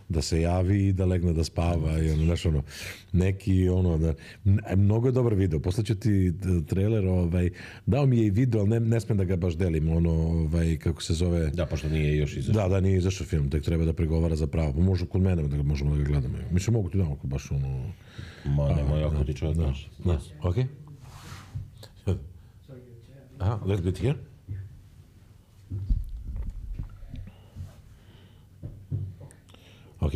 da se javi i da legne da spava i ono, znaš, ono, neki, ono, da, mnogo je dobar video, poslaću ti trailer, dao mi je i video, ali ne smem da ga baš delim, ono, kako se zove... Da, pošto nije još izašao. Da, nije izašao film, tek treba da pregovara za pravo, pa možda kod mene da možemo da ga gledamo. Mislim, mogu ti damo ako baš, ono... Ma, nemoj, ako ti čovjek daš. Okay. Let's get here. Ok.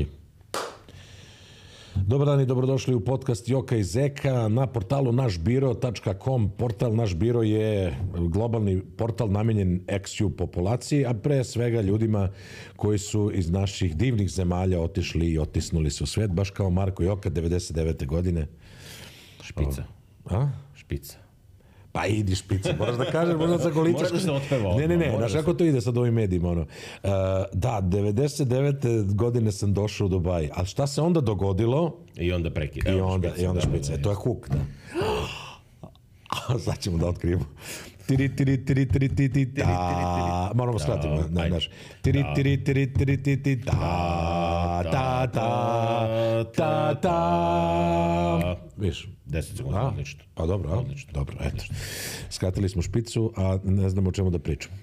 Dobar dan i dobrodošli u podcast Joka i Zeka na portalu našbiro.com. Portal Naš Biro je globalni portal namenjen ex-ju populaciji, a pre svega ljudima koji su iz naših divnih zemalja otišli i otisnuli se u svet, baš kao Marko Joka 99. godine. Špica. A? Špica. Pa idi špica, moraš da kažeš, možda sa goličaš. Moraš da se otpeva odmah. Ne, znaš kako to ide sad ovim medijima, ono. Da, 99. godine sam došao u Dubaj, ali šta se onda dogodilo? I onda prekida. I onda špica, to je huk, da. Sad ćemo da otkrijemo. Moramo skratiti, znaš. Viš? 10 sekundi, odlično. Pa dobro, eto. Skratili smo špicu, a ne znamo o čemu da pričamo.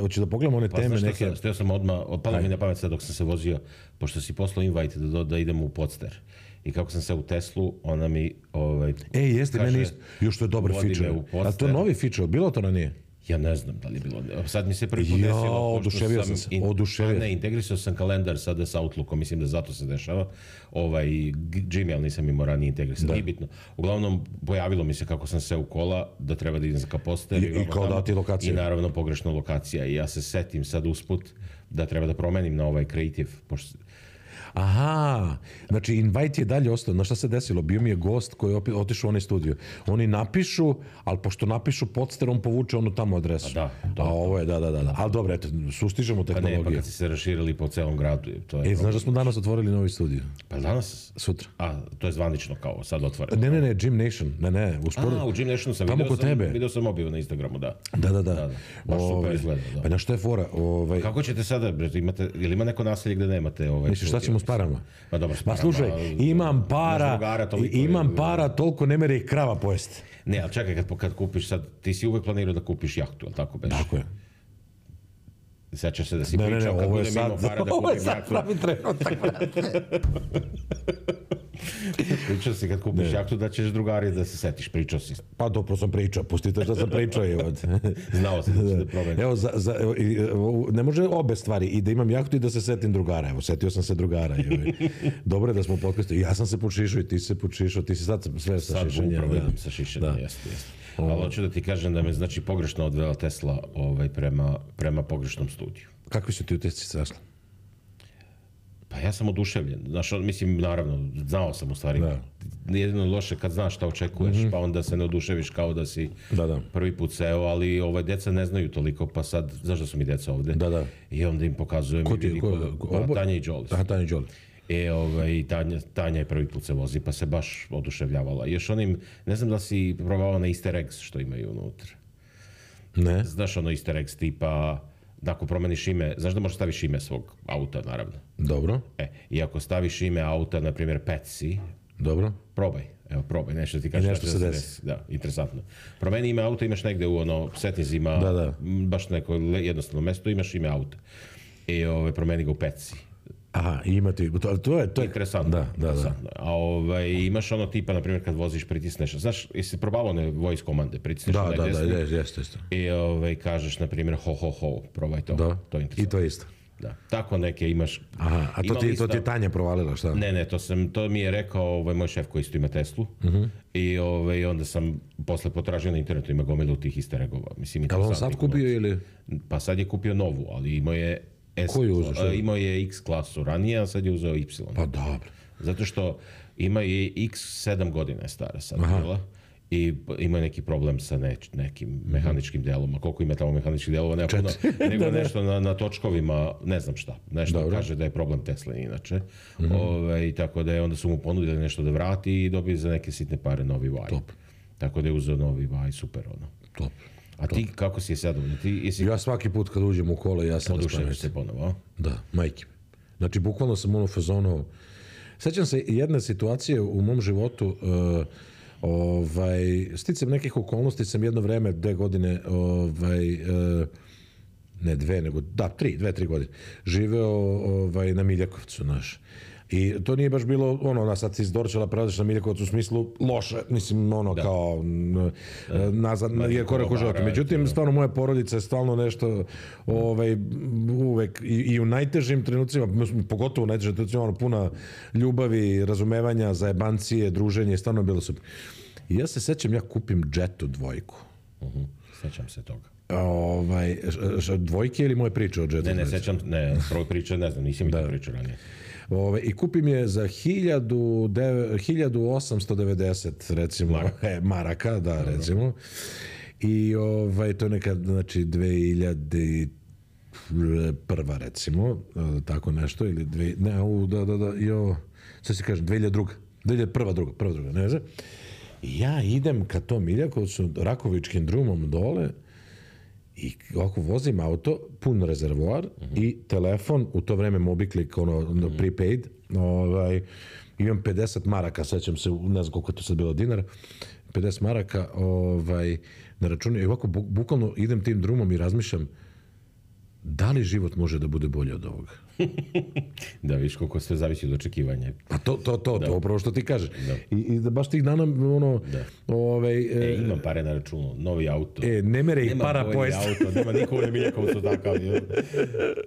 Hoću da pogledamo one teme neke... Steo sam odmah, opalo mi na pamet sad dok sam se vozio, pošto si poslao invite da idemo u Podster. I kako sam se u Teslu, ona mi jeste, meni isto. Još to je dobar feature. A to je novi feature, bilo to ranije? Ja ne znam da li je bilo. Sad mi se prvi put desilo. Oduševio sam se. Ne, integrisao sam kalendar sada sa Outlookom, mislim da zato se dešava. Gmail nisam imao ranije integrisan, nije bitno. Uglavnom, pojavilo mi se kako sam se u kola, da treba da idem za Poster. I kao dati lokacija. I naravno pogrešna lokacija. I ja se setim sad usput da treba da promenim na ovaj Creative, pošto... Aha, znači invite je dalje ostao. Znaš šta se desilo? Bio mi je gost koji je otišao u onaj studio. Oni napišu, ali pošto napišu Podster, on povuče onu tamo adresu. Da. A ovo je, da. Ali dobro, eto, sustižemo tehnologiju. Pa kad si se raširili po celom gradu. Znaš da smo danas otvorili novi studio? Pa danas? Sutra. A, to je zvanično kao sad otvoreno. Ne, Gym Nation. Ne, u Gym Nationu sam video sam objavio na Instagramu, da. Da. Baš super izgleda, da. Pa na što je fora? Kako ćete sada, ili ima neko naselje gde nemate misliš, šta ćemo s parama? Pa dobro, s parama. Ma slušaj, imam para, toliko ne mere i krava pojesti. Ne, ali čekaj, kad kupiš sad, ti si uvek planirao da kupiš jahtu, ali tako beš? Tako je. Sećaš se da si pričao kad budem imao para da kupim jahtu. Pravi trenutak. Pričao si kad kupiš jahtu da ćeš drugari da se setiš, pričao si. Pa dobro sam pričao, pustite što sam pričao. Znao sam da će da promenim. Evo, ne može obe stvari, i da imam jahtu i da se setim drugara. Evo, setio sam se drugara. Dobro je da smo u podcastu. Ja sam se počišao i ti se počišao, ti si sad sve sa šišenjem. Sad upravo idem sa šišenjem, jeste. Ali hoću da ti kažem da me znači pogrešno odvela Tesla prema pogrešnom studiju. Kakvi su ti u Tesli sasli? Pa ja sam oduševljen. Znaš, mislim, naravno, znao sam u stvari. Jedino loše kad znaš šta očekuješ, pa onda se ne oduševiš kao da si prvi put seo, ali deca ne znaju toliko, pa sad, znaš da su mi deca ovde? Da. I onda im pokazujem. Tanja i Jolie. Tanja i Jolie. I Tanja je prvi put se vozi, pa se baš oduševljavala. Još onim, ne znam da si probavao na easter eggs što imaju unutra. Ne. Znaš ono easter eggs tipa, ako promeniš ime, znaš da možeš staviš ime svog auta, naravno. Dobro. I ako staviš ime auta, na primjer Petsy, dobro. Probaj, nešto ti kaže nešto se desi. Da, interesantno. Promeni ime auta, imaš negde u setnizima, baš neko jednostavno mesto, imaš ime auta. I promeni ga u Petsy. Aha, ima ti, to je interesantno. Da. A imaš ono tipa, na primjer, kad voziš, pritisneš, znaš, jesi probavao one voice komande, pritisneš na desno. Jeste. I kažeš, na primjer, ho, probaj to. Da, to je interesantno. i to isto. Da, tako neke imaš... Aha, a to ti je Tanja provalila, šta? Ne, to mi je rekao moj šef koji isto ima Teslu. I onda sam posle potražio na internetu, ima gomilu tih easter eggova. Ali on sad kupio ili? Pa sad je kupio novu, ali imao je imao je X klasu ranije, a sad je uzeo Y. Pa dobro. Zato što ima i X 7 godina je stara sad bila i ima neki problem sa nekim mehaničkim delom. A koliko ima tamo mehaničkih delova, nema puno, nego nešto na točkovima, ne znam šta. Nešto kaže da je problem Tesla inače. Tako da je onda su mu ponudili nešto da vrati i dobije za neke sitne pare novi Y. Top. Tako da je uzeo novi Y, super ono. Top. A ti kako si je zadovoljno? Ja svaki put kad uđem u kola, ja sam oduševljen se ponovo, a? Da, majke. Znači, bukvalno sam u fazonu. Sećam se jedne situacije u mom životu, sticam nekih okolnosti, sam jedno vreme, 2 godine, ne 2, nego, da, 2-3 godine, živeo na Miljakovcu, znaš. I to nije baš bilo, sad si iz Dorčela prelaziš na Miljakovac u smislu loše, mislim, kao nazad, je korak u životu. Međutim, stvarno, moja porodica je stvarno nešto, uvek, i u najtežim trenucima, pogotovo u najtežim trenucima, puna ljubavi, razumevanja, zajebancije, druženje, stvarno je bilo super. I ja se sećam, ja kupim Jetu 2. Sećam se toga. Dvojke ili moje priče o Jetu? Ne, sećam, prvo priče, ne znam, nisam mi to pričao ranije. I kupim je za 1890 recimo maraka, da, recimo. I to je nekad, znači 2001 recimo, tako nešto, ili sad se kažem, 2001, ne znam. I ja idem ka tom Miljakovcu, Rakovičkim drumom dole, i ovako vozim auto, pun rezervoar i telefon, u to vreme Mobiklik, prepaid, imam 50 maraka, sećam se, ne znam koliko je to sad bilo dinara, 50 maraka na računu i ovako bukvalno idem tim drumom i razmišljam da li život može da bude bolje od ovoga. Da, viš koliko sve zavisi od očekivanja. Pa to upravo što ti kažeš. I da baš tih dana, imam pare na računu, novi auto. Ne mere ih para pojesti. Nema bolji auto, nema niko u Miljakovcu takav.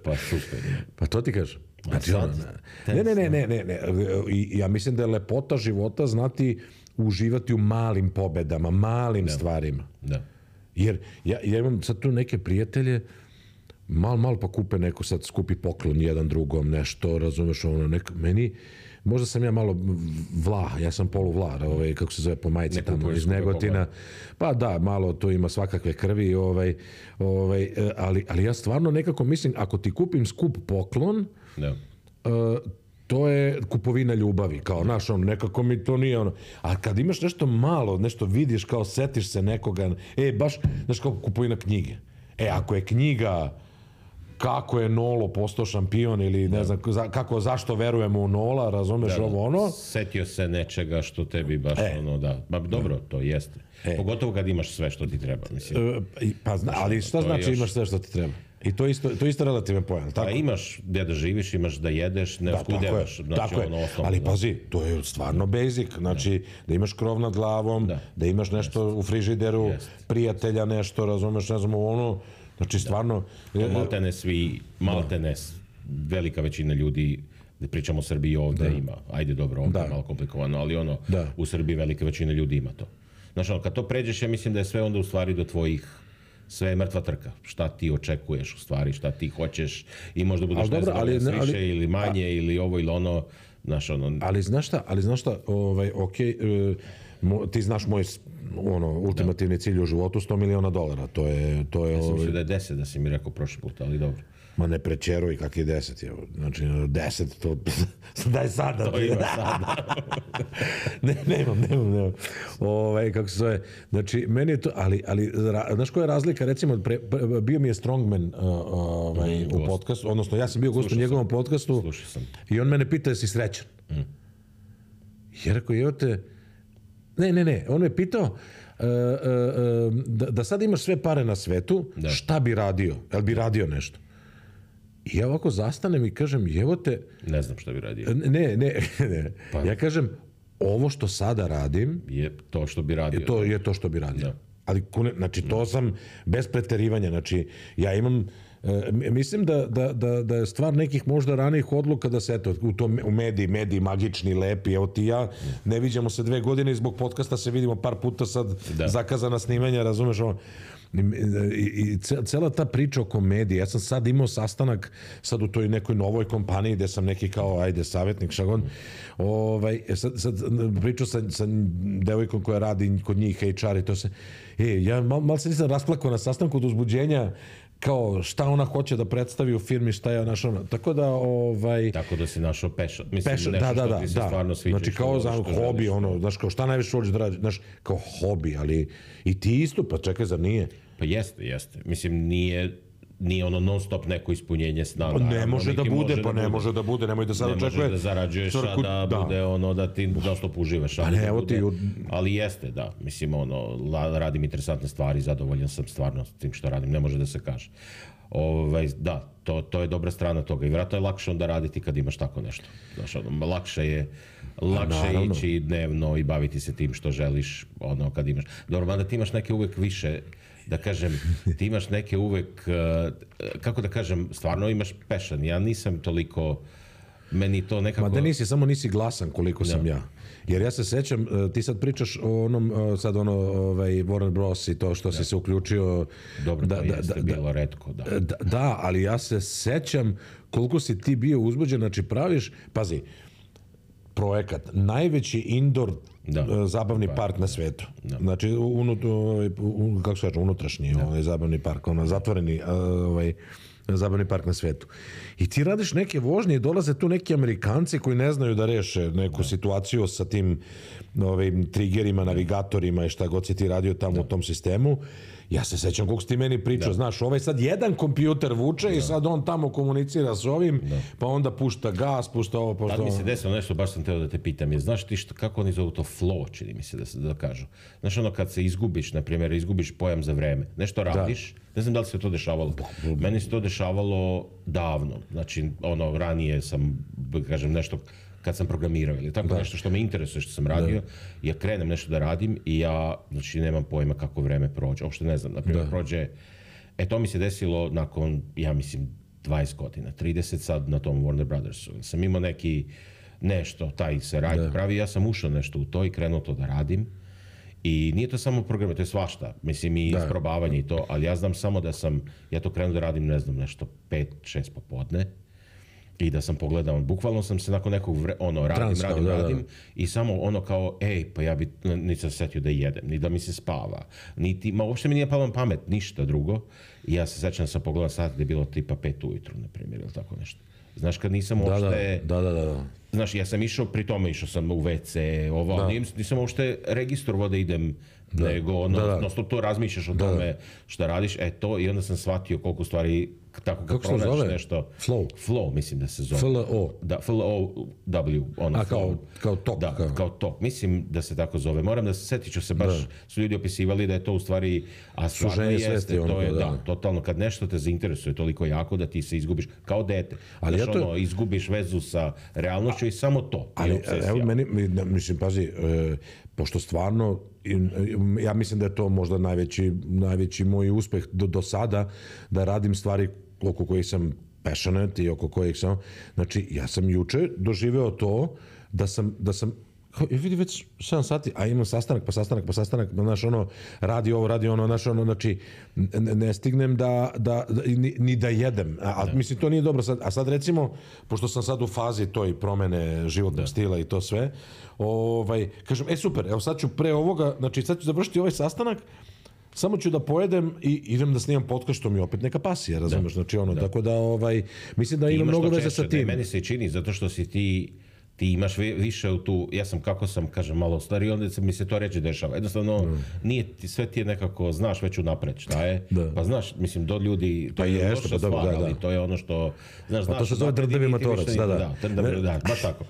Pa super. Pa to ti kažeš. Znači, ne. Ja mislim da je lepota života znati uživati u malim pobedama, malim stvarima. Da. Jer ja imam sad tu neke prijatelje, malo pa kupe neko sad skupi poklon jedan drugom, nešto, razumeš, meni, možda sam ja malo vlah, ja sam poluvlah, kako se zove po majici tamo, iz Negotina, pa da, malo to ima svakakve krvi, ali ja stvarno nekako mislim, ako ti kupim skup poklon, to je kupovina ljubavi, kao, znaš, nekako mi to nije a kad imaš nešto malo, nešto vidiš, kao setiš se nekoga, baš, znaš, kao kupovina knjige, ako je knjiga kako je Nolo postao šampion ili ne znam, zašto verujemo u Nola, razumeš Setio se nečega što tebi baš Ma dobro, to jeste. Pogotovo kad imaš sve što ti treba, mislim. Ali šta znači imaš sve što ti treba? I to je isto relativan pojam. Pa imaš gdje da živiš, imaš da jedeš, ne oskudevaš. Tako je, ali pazi, to je stvarno basic, znači da imaš krov nad glavom, da imaš nešto u frižideru, prijatelja nešto, razumeš, ne znam, znači stvarno... Maltene velika većina ljudi, da pričamo o Srbiji ovdje ima, ajde dobro, ovdje je malo komplikovano, ali u Srbiji velika većina ljudi ima to. Znači, kad to pređeš, ja mislim da je sve onda u stvari do tvojih, sve je mrtva trka. Šta ti očekuješ u stvari, šta ti hoćeš i možda budeš ne znam, više ili manje ili ovo ili ono, znaš Ali znaš šta, ti znaš moj ultimativni cilj u životu, $100 miliona. To je... Ja sam mislio da je 10, da si mi rekao prošli put, ali dobro. Ma ne prečeruj kak je 10, znači 10, to daj sada. To ima sada. Nemam. Kako se zove, znači meni je to, ali znaš koja je razlika, recimo, bio mi je Strongman u podcastu, odnosno ja sam bio gost u njegovom podcastu i on mene pita jesi srećan. I rekao, Ne, on me pitao da sad imaš sve pare na svetu, šta bi radio? Jel bi radio nešto? I ja ovako zastanem i kažem, evote... Ne znam šta bi radio. Ne. Ja kažem, ovo što sada radim... Je to što bi radio. To je to što bi radio. Ali, znači, to sam bez preterivanja. Znači, ja imam... Mislim da je stvar nekih možda ranijih odluka da se, eto, u mediji magični, lepi, evo ti ja, ne viđamo se 2 godine i zbog podcasta se vidimo par puta sad zakazana snimanja, razumeš ovo? I cela ta priča o komediji, ja sam sad imao sastanak sad u toj nekoj novoj kompaniji gde sam neki kao, ajde, savjetnik, šagon, sad pričao sa devojkom koja radi kod njih HR i to se, ja malo se nisam rasplakao na sastanku od uzbuđenja, kao šta ona hoće da predstavi u firmi, šta je našao, tako da Tako da si našao passion, mislim nešto što ti se stvarno sviđa. Znači kao za hobi, znaš, kao šta najviše voliš da radiš, znaš, kao hobi, ali i ti isto, pa čekaj, zar nije? Pa jeste, mislim nije nije ono non stop neko ispunjenje sna. Ne može da bude, ne može da bude, nemoj da sad očekuje. Ne može da zarađuješ, a da bude ono da ti non stop uživaš. Ali jeste, da, mislim, ono, radim interesantne stvari, zadovoljan sam stvarno s tim što radim, ne može da se kaže. Da, to je dobra strana toga i vjerojatno je lakše onda raditi kad imaš tako nešto. Znaš, ono, lakše je ići dnevno i baviti se tim što želiš, ono, kad imaš. Dobro, mada ti imaš neke uvek više, da kažem, ti imaš neke uvek, kako da kažem, stvarno imaš passion. Ja nisam toliko, meni to nekako... Ma da nisi, samo nisi glasan koliko sam ja. Jer ja se sećam, ti sad pričaš o onom, sad ono, Warner Bros. I to što si se uključio... Dobro, to jeste bilo retko, da. Da, ali ja se sećam koliko si ti bio uzbuđen, znači praviš, pazi, projekat, najveći indoor zabavni park na svetu. Znači, kako se kaže, unutrašnji zabavni park, zatvoreni zabavni park na svetu. I ti radiš neke vožnje i dolaze tu neki Amerikanci koji ne znaju da reše neku situaciju sa tim triggerima, navigatorima i šta god si ti radio tamo u tom sistemu. Ja se sećam koliko si ti meni pričao, znaš, sad jedan kompjuter vuče i sad on tamo komunicira s ovim, pa onda pušta gas, pušta ovo, pušta ovo. Tad mi se desilo nešto, baš sam teo da te pitam, znaš ti kako oni zovu to flow, čini mi se da kažu. Znaš ono kad se izgubiš, na primjer, izgubiš pojam za vreme, nešto radiš, ne znam da li se to dešavalo. Meni se to dešavalo davno, znači ono, ranije sam, kažem, nešto kad sam programirao ili tako nešto što me interesuje što sam radio, ja krenem nešto da radim i ja, znači, nemam pojma kako vreme prođe, uopšte ne znam, naprimjer, prođe, to mi se desilo nakon, ja mislim, 20 godina, 30 sad na tom Warner Brothersu, sam imao neki, nešto, taj se radi pravi, ja sam ušao nešto u to i krenuo to da radim i nije to samo program, to je svašta, mislim i isprobavanje i to, ali ja znam samo da sam, ja to krenuo da radim, ne znam, nešto 5-6 popodne, i da sam pogledao, bukvalno sam se nakon nekog radim i samo ono kao, pa ja bi nisam setio da jedem, ni da mi se spava, uopšte mi nije palo na pamet, ništa drugo. I ja se sećam da sam pogledao sat gdje je bilo tipa 5 ujutru, na primjer, ili tako nešto. Znaš, kad nisam uopšte... Znaš, ja sam išao, pri tome išao sam u WC, nisam uopšte registrovao da idem, nego non-stop to razmišljaš o tome šta radiš, to, i onda sam shvatio koliko stvari, tako kad pronađeš nešto... Flow, mislim da se zove. F-L-O. Da, F-L-O-W. Kao tok. Da, kao tok. Mislim da se tako zove. Moram da se setit ću se, baš su ljudi opisivali da je to u stvari, a stvarno jeste, to je, totalno, kad nešto te zainteresuje toliko jako da ti se izgubiš, kao dete. Znaš, izgubiš vezu sa realnošću i samo to. Ali, evo meni, mislim, pazi, pošto stvarno, ja mislim da je to možda najveći moj uspeh do sada, da radim stvari oko kojih sam passionate i oko kojih sam, znači ja sam juče doživeo to da sam vidi već 7 sati, a imam sastanak, znaš, ono, radi ono, znaš, ono, znači, ne stignem ni da jedem, a mislim, to nije dobro sad, a sad recimo, pošto sam sad u fazi toj promene životnog stila i to sve, kažem, super, evo sad ću pre ovoga, znači sad ću završiti ovaj sastanak, samo ću da pojedem i idem da snimam podcast, što mi je opet neka pasija, razumeš, znači ono, tako da, mislim da ima mnogo veze sa tim. Meni se čini, zato što si ti imaš više u tu, ja sam kako sam, kažem, malo stariji, onda mi se to ređe dešava. Jednostavno, sve ti je nekako, znaš već unapred šta je, pa znaš, mislim, do ljudi, to je loša stvar, ali to je ono što, znaš, to se zove drndavi motorac, da, baš tako.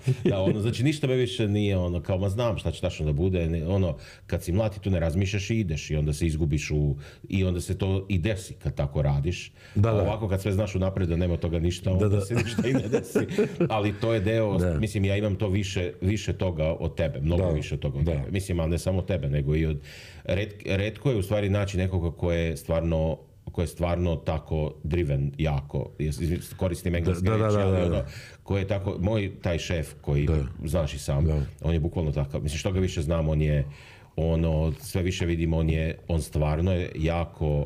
Znači, ništa me više nije ono, kao, ma znam šta će tačno da bude, ono, kad si mlad, tu ne razmišljaš i ideš i onda se izgubiš i onda se to i desi kad tako radiš. Ovako, kad sve znaš unapred da nema toga ništa, onda se ništa i ne desi. Ali to je deo, mislim, ja imam to više toga od tebe, mnogo više toga od tebe. Mislim, ali ne samo tebe, nego i od... Retko je u stvari naći nekoga ko je stvarno tako driven jako, koristim engleske reči, ali ono, ko je tako, moj taj šef koji, znaš i sam, on je bukvalno takav, mislim, što ga više znam, on je, ono, sve više vidim, on stvarno je jako,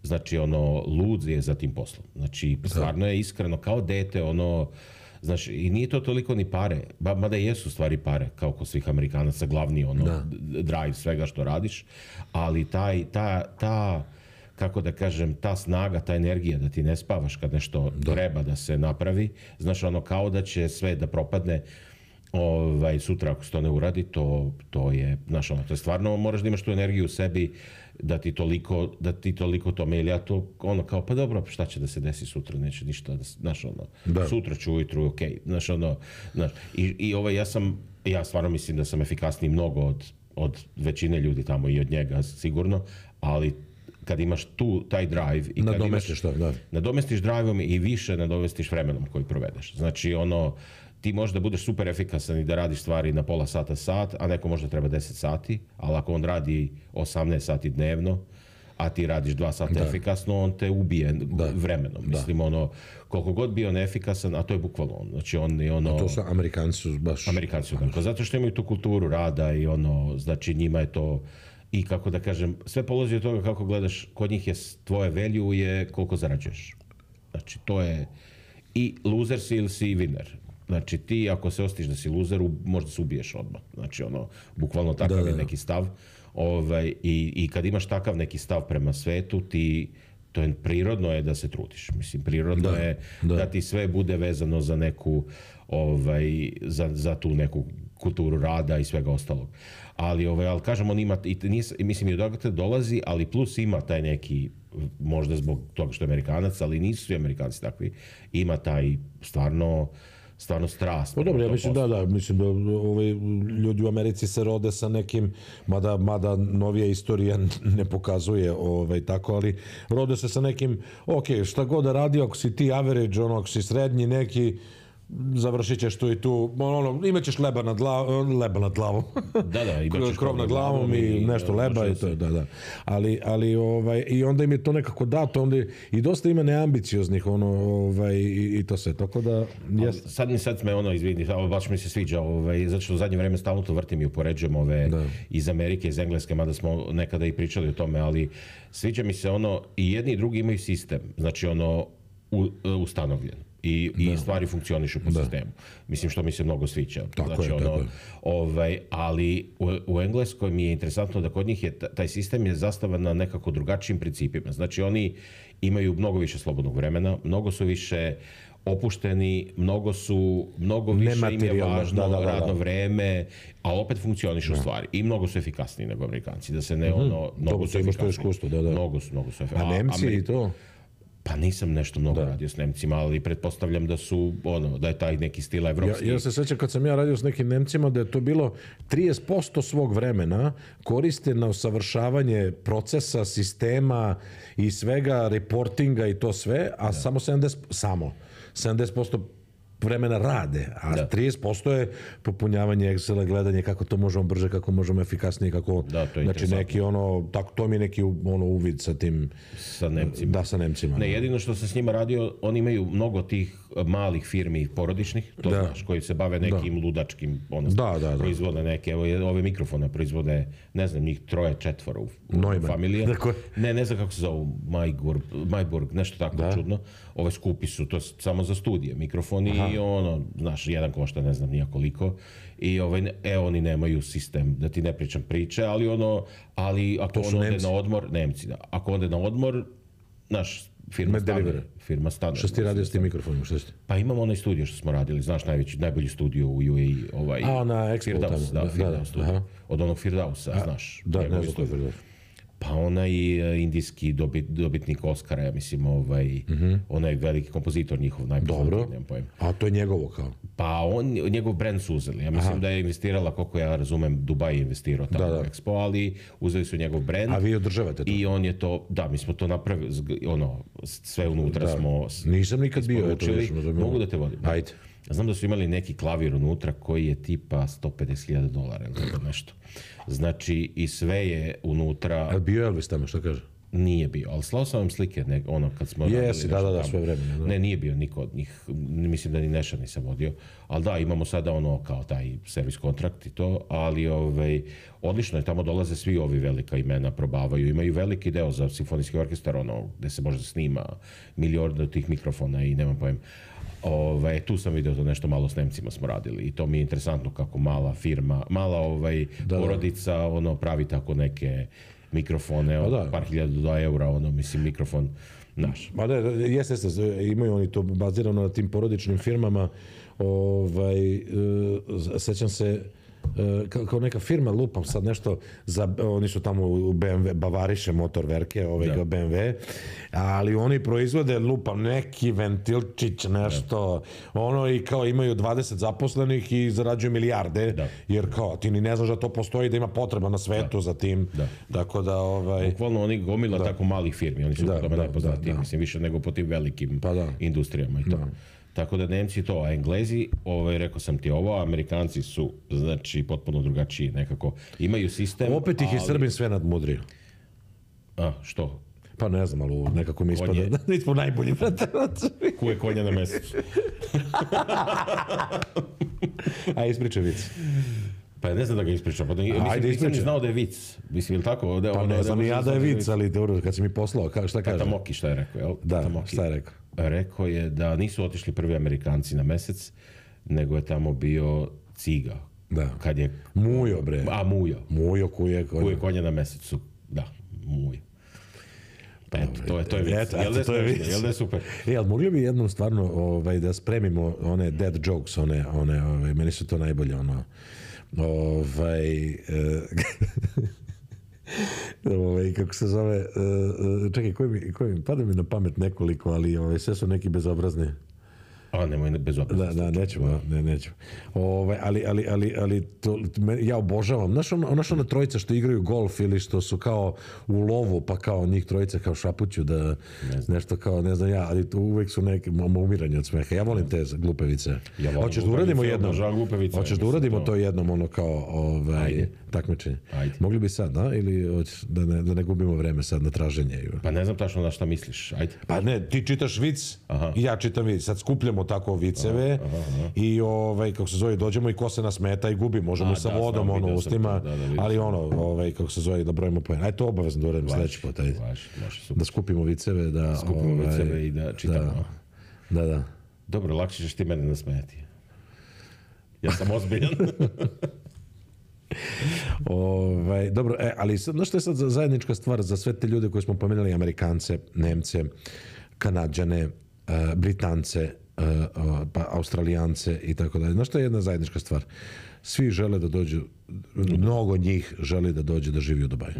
znači, ono, lud je za tim poslom. Znači, stvarno je iskreno, kao dete, ono, znaš, i nije to toliko ni pare, mada jesu stvari pare, kao kod svih Amerikanaca, glavni drive svega što radiš, ali ta, kako da kažem, ta snaga, ta energija da ti ne spavaš kad nešto treba da se napravi, znaš, ono, kao da će sve da propadne, sutra ako se to ne uradi, to je, znaš, ono, to je stvarno, moraš da imaš tu energiju u sebi, da ti toliko tome, ili ja to, ono, kao, pa dobro, šta će da se desi sutra, neće ništa, znaš, ono, sutra ću ujutru, okej, znaš, ono, znaš, ja stvarno mislim da sam efikasniji mnogo od većine ljudi tamo i od njega, sigurno, ali kad imaš taj drive i kad nadomestiš drive-om i više nadomestiš vremenom koji provedeš. Znači, ono, ti možda budeš super efikasan i da radiš stvari na pola sat, a neko možda treba 10 sati, ali ako on radi 18 sati dnevno, a ti radiš 2 sata efikasno, on te ubije vremenom. Mislim, ono, koliko god bio neefikasan, a to je bukvalno on. Znači, on je ono... A to su Amerikanci baš... Amerikanci, zato što imaju tu kulturu rada i ono, znači njima je to... I kako da kažem, sve polazi od toga kako gledaš, kod njih je tvoje value je koliko zarađuješ. Znači, to je i loser si ili si winner. Znači, ti ako se osjetiš da si loser, možda se ubiješ odmah. Znači, ono, bukvalno takav je neki stav. I kad imaš takav neki stav prema svetu, to je prirodno je da se trudiš. Mislim, prirodno je da ti sve bude vezano za neku, za tu neku kulturu rada i svega ostalog. Ali kažem, on ima, mislim i odakle dolazi, ali plus ima taj neki, možda zbog toga što je Amerikanac, ali nisu svi Amerikanci takvi, ima taj stvarno strast. Pa dobro, ja mislim mislim da ljudi u Americi se rode sa nekim, mada novija istorija ne pokazuje tako, ali rode se sa nekim, šta god da radi, ako si ti average, ako si srednji neki, završit ćeš tu i tu, imaćeš leba nad glavom. Krov nad glavom i nešto leba i to, Ali i onda im je to nekako dato, onda i dosta ima neambicioznih, i to sve, tako da... Sad me izvini, baš mi se sviđa, zato što u zadnje vreme stalno to vrtim i upoređujem iz Amerike, iz Engleske, mada smo nekada i pričali o tome, ali sviđa mi se i jedni i drugi imaju sistem, znači ustanovljen. I stvari funkcionišu po sistemu. Mislim, što mi se mnogo sviđa. Ali u Engleskoj mi je interesantno da kod njih taj sistem je zastavan na nekako drugačijim principima. Znači, oni imaju mnogo više slobodnog vremena, mnogo su više opušteni, mnogo više im je važno radno vreme, a opet funkcionišu stvari. I mnogo su efikasniji nego Amerikanci. Da se ne mnogo su efikasniji. Mnogo su efikasniji. A Nemci i to? Pa nisam nešto mnogo radio s Nemcima, ali pretpostavljam da su, da je taj neki stil evropski. Ja se sjećam kad sam ja radio s nekim Nemcima da je to bilo 30% svog vremena koriste na usavršavanje procesa, sistema i svega, reportinga i to sve, a samo 70% vremena rade, a 30% je popunjavanje Excela, gledanje kako to možemo brže, kako možemo efikasnije, kako, znači neki to mi je neki uvid sa tim, sa Nemcima. Sa Nemcima. Ne, jedino što sam s njima radio, oni imaju mnogo tih malih firmi porodičnih, to znaš, koji se bave nekim ludačkim, proizvode neke, evo ove mikrofone proizvode, ne znam, njih 3-4 u familiji. Ne znam kako se zove, Majburg, nešto tako čudno. Ove skupi su, to samo za studije, mikrofoni i znaš, jedan košta ne znam nija koliko i oni nemaju sistem, da ti ne pričam priče, ali ako on ode na odmor, Nemci, ako ode na odmor, naš firma stanuje. Što si ti radio s tim mikrofonima? Pa imamo onaj studio što smo radili, znaš, najbolji studio u UAE, na Expo tamo. Firdaus studio. Od onog Firdausa, znaš. Da, ne znam koji je Firdaus. Pa onaj indijski dobitnik Oscara, ja mislim, onaj veliki kompozitor njihov, Dobro, a to je njegovo kao? Pa njegov brand su uzeli. Ja mislim da je investirala, koliko ja razumem, Dubaj je investirao tamo u Expo, ali uzeli su njegov brand. A vi održavate to? I on je to, da, mi smo to napravili, sve unutra smo Nisam nikad bio. Mogu da te vodim. Ajde. Znam da su imali neki klavir unutra koji je tipa $150,000 ili nešto. Znači, i sve je unutra... Ali bio Elvis tamo, što kaže? Nije bio, ali slao sam vam slike, kad smo... Jesi, da, sve vremena. Ne, nije bio niko od njih, mislim da ni Neša nisam vodio, ali da, imamo sada kao taj servis kontrakt i to, ali odlično je, tamo dolaze svi ovi velika imena, probavaju, imaju veliki deo za simfonijski orkestar, gde se možda snima milion tih mikrofona i nemam pojem. Tu sam vidio to nešto malo s Nemcima smo radili i to mi je interesantno kako mala firma, mala porodica pravi tako neke mikrofone od par hiljada eura, mislim mikrofon naš. Ma da, jeste, imaju oni to bazirano na tim porodičnim firmama, sećam se, kao neka firma, lupam sad nešto, oni su tamo u BMW, Bavariše motorverke, BMW, ali oni proizvode, lupam, neki ventilčić, nešto, i kao imaju 20 zaposlenih i zarađuju milijarde, jer kao, ti ni ne znaš da to postoji, da ima potreba na svetu za tim, tako da, Bukvalno oni gomila tako malih firmi, oni su po tome najpoznatiji, mislim, više nego po tim velikim industrijama i to. Tako da Nemci to, a Englezi, rekao sam ti ovo, Amerikanci su, znači, potpuno drugačiji nekako. Imaju sistem, opet ih je Srbin sve nadmudrio. A, što? Pa ne znam, ali nekako mi ispada da nismo najbolji, brate. Kuje konja na mesecu. A ispričaj vic. Pa ne znam da ga ispričam. Nisam ni znao da je vic. Mislim, ili tako? Pa ne znam ni ja da je vic, ali dobro, kad si mi poslao, šta kaže? Tata Moki šta je rekao, jel? Da, šta je rekao? Rekao je da nisu otišli prvi Amerikanci na mesec, nego je tamo bio Ciga. Da. Kad je... Mujo, bre. A, Mujo. Mujo kuje konja na mesecu. Da, Mujo. Eto, to je vic. Jel da je super? Ali mogli bi jednom stvarno da spremimo one dead jokes, meni su to najbolje, kako se zove, čekaj, koji mi pada mi na pamet nekoliko, ali sve su neki bezobrazni. A, nemoj bezobrazni. Da, nećemo. Ali ja obožavam. Znaš ona trojica što igraju golf ili što su kao u lovu, pa kao njih trojica kao šapuću da nešto kao, ne znam ja, ali uvek su neke umiranje od smeha. Ja volim te glupevice. Hoćeš da uradimo jednom? Hoćeš da uradimo to jednom, kao takmičenje? Mogli bi sad, da? Ili da ne gubimo vreme sad na traženje? Pa ne znam tačno na šta misliš. Ajde. Pa ne, ti čitaš vic i ja čitam vic. Sad skupljamo tako viceve i kako se zove, dođemo i ko se nas meta i gubi, možemo sa vodom u ustima, ali kako se zove, da brojimo poen. Ajde, to obavezno da uradimo sledeći put, da skupimo viceve, i da čitamo. Da. Dobro, lakše ćeš ti mene nasmejati. Ja sam ozbiljan. Dobro, ali znaš što je sad zajednička stvar za sve te ljude koje smo pomenuli, Amerikance, Nemce, Kanadžane, Britance, pa Australijance i tako dalje. Znaš što je jedna zajednička stvar? Svi žele da dođu, mnogo njih želi da dođe da živi u Dubaju.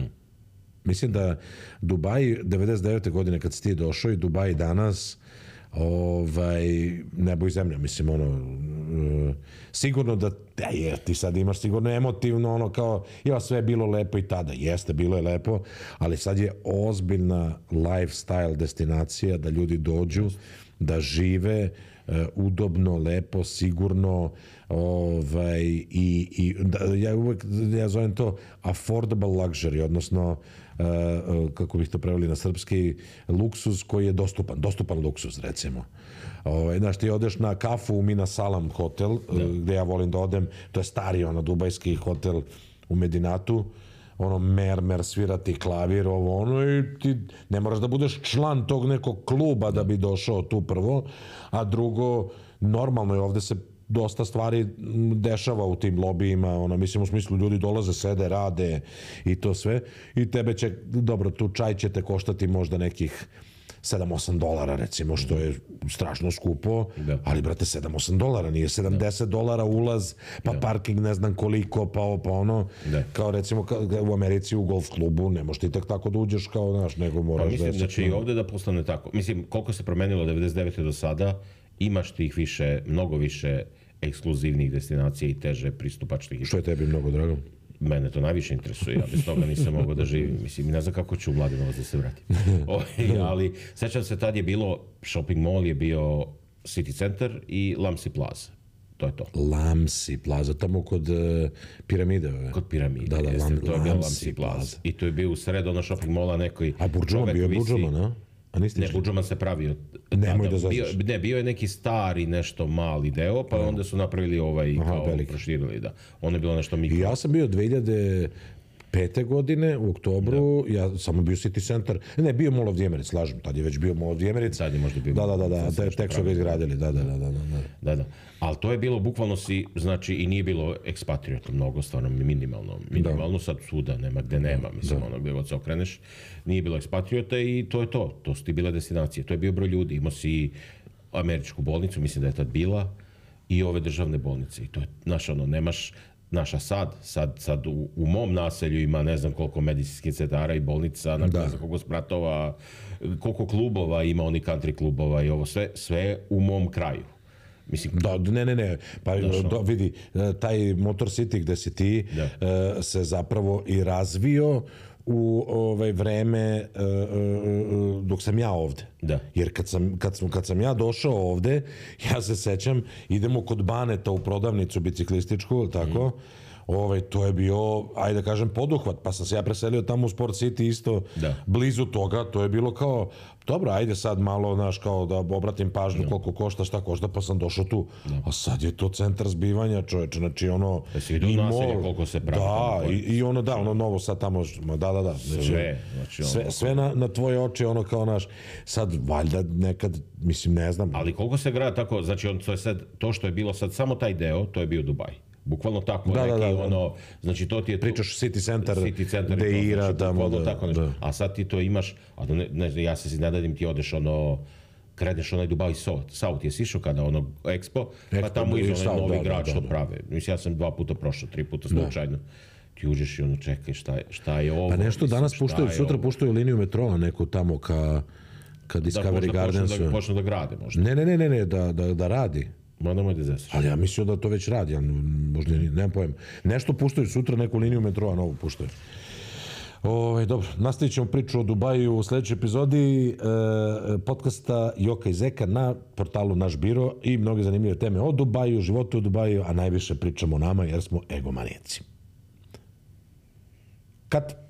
Mislim da Dubai 99. godine kad si ti došao i Dubai danas nebo i zemlja, mislim, sigurno da, ti sad imaš sigurno emotivno, kao, sve je bilo lepo i tada, jeste, bilo je lepo, ali sad je ozbiljna lifestyle destinacija da ljudi dođu, da žive udobno, lepo, sigurno, ja zovem to affordable luxury, odnosno kako bih to preveli na srpski, luksuz koji je dostupan luksuz, recimo. Znaš, ti odeš na kafu u Mina Salam hotel, gde ja volim da odem, to je stari dubajski hotel u Medinatu, mermer, svirati klavir, i ti ne moraš da budeš član tog nekog kluba da bi došao tu prvo, a drugo, normalno je, ovde se dosta stvari dešava u tim lobijima, mislim, u smislu ljudi dolaze, sede, rade i to sve, i tebe će, dobro, tu čaj će te koštati možda nekih $7-8, recimo, što je strašno skupo, ali, brate, $7-8, nije $70 ulaz, pa parking ne znam koliko, pa kao, recimo, u Americi u golf klubu, ne možeš ti tek tako da uđeš kao, znaš, nego moraš da... Pa mislim da će i ovde da postane tako. Mislim, koliko se promenilo 99. do sada, imaš tih više, mnogo više ekskluzivnih destinacija i teže pristupačnih. Što je tebi mnogo drago? Mene to najviše interesuje, ja bez toga nisam mogao da živim. Mislim, ne znam kako ću u Mladenovac da se vratim. Ali, sećam se, tad je bilo, shopping mall je bio City Center i Lamsi Plaza. To je to. Lamsi Plaza, tamo kod piramide. Kod piramide, jeste. To je bio Lamsi Plaza. I to je bio u sred shopping malla nekoj... A Burđoman bio Burđoman, a? Ne, Burđoman se pravio. Nemoj da zaznaš. Ne, bio je neki stari nešto mali deo, pa onda su napravili kao proširili, da. Ono je bilo nešto mikro. I ja sam bio 2005. godine u oktobru, ja samo bio City Center, ne, bio Mall of the Emirates, slažem, tad je već bio Mall of the Emirates. Sad je možda bio. Da, tek su ga izgradili, da. Ali to je bilo, bukvalno znači, i nije bilo ekspatriota, mnogo, stvarno minimalno, sad svuda nema gde nema, mislim, gde god se okreneš, nije bilo ekspatriota i to je to su ti bile destinacije, to je bio broj ljudi, imao si američku bolnicu, mislim da je tad bila, i ove državne bolnice. I to je, znaš, nemaš, naša sad u mom naselju ima ne znam koliko medicinskih centara i bolnica, ne znam koliko spratova, koliko klubova ima, oni country klubova i ovo sve u mom kraju. Mislim, ne. Pa vidi, taj Motor City gde si ti se zapravo i razvio u vreme dok sam ja ovde. Jer kad sam ja došao ovde, ja se sećam, idemo kod Baneta u prodavnicu biciklističku, tako? To je bio, ajde da kažem, poduhvat, pa sam se ja preselio tamo u Sport City isto blizu toga, to je bilo kao, dobro, ajde sad malo, znaš, kao da obratim pažnju koliko košta, šta košta, pa sam došao tu. A sad je to centar zbivanja, čoveče, znači ono... i naselje koliko se pravi. Ono novo sad tamo, da. Sve na tvoje oči, ono kao naš, sad valjda nekad, mislim, ne znam. Ali koliko se grada tako, znači to što je bilo sad, samo taj deo, to je bio Dubaj. Bukvalno tako znači to ti je... Pričaš City Center Deira, a sad ti to imaš, ja se nadedim ti odeš kreneš onaj Dubai South, jesi išao kada Expo, pa tamo iz onaj novi grad što prave. Mislim, ja sam 2 puta prošao, 3 puta slučajno. Ti uđeš i čekaj, šta je ovo? Pa nešto danas puštaju, sutra puštaju liniju metroa neku tamo ka Discovery Gardensu. Da počne da grade možda. Ne, da radi. Ali ja mislio da to već radi, možda nemam pojem. Nešto puštaju sutra, neku liniju metroa novu puštaju. Dobro, nastavit ćemo priču o Dubaju u sljedećoj epizodi podcasta Joka i Zeka na portalu Naš biro i mnoge zanimljive teme o Dubaju, životu u Dubaju, a najviše pričamo o nama jer smo egomanijaci. Kat!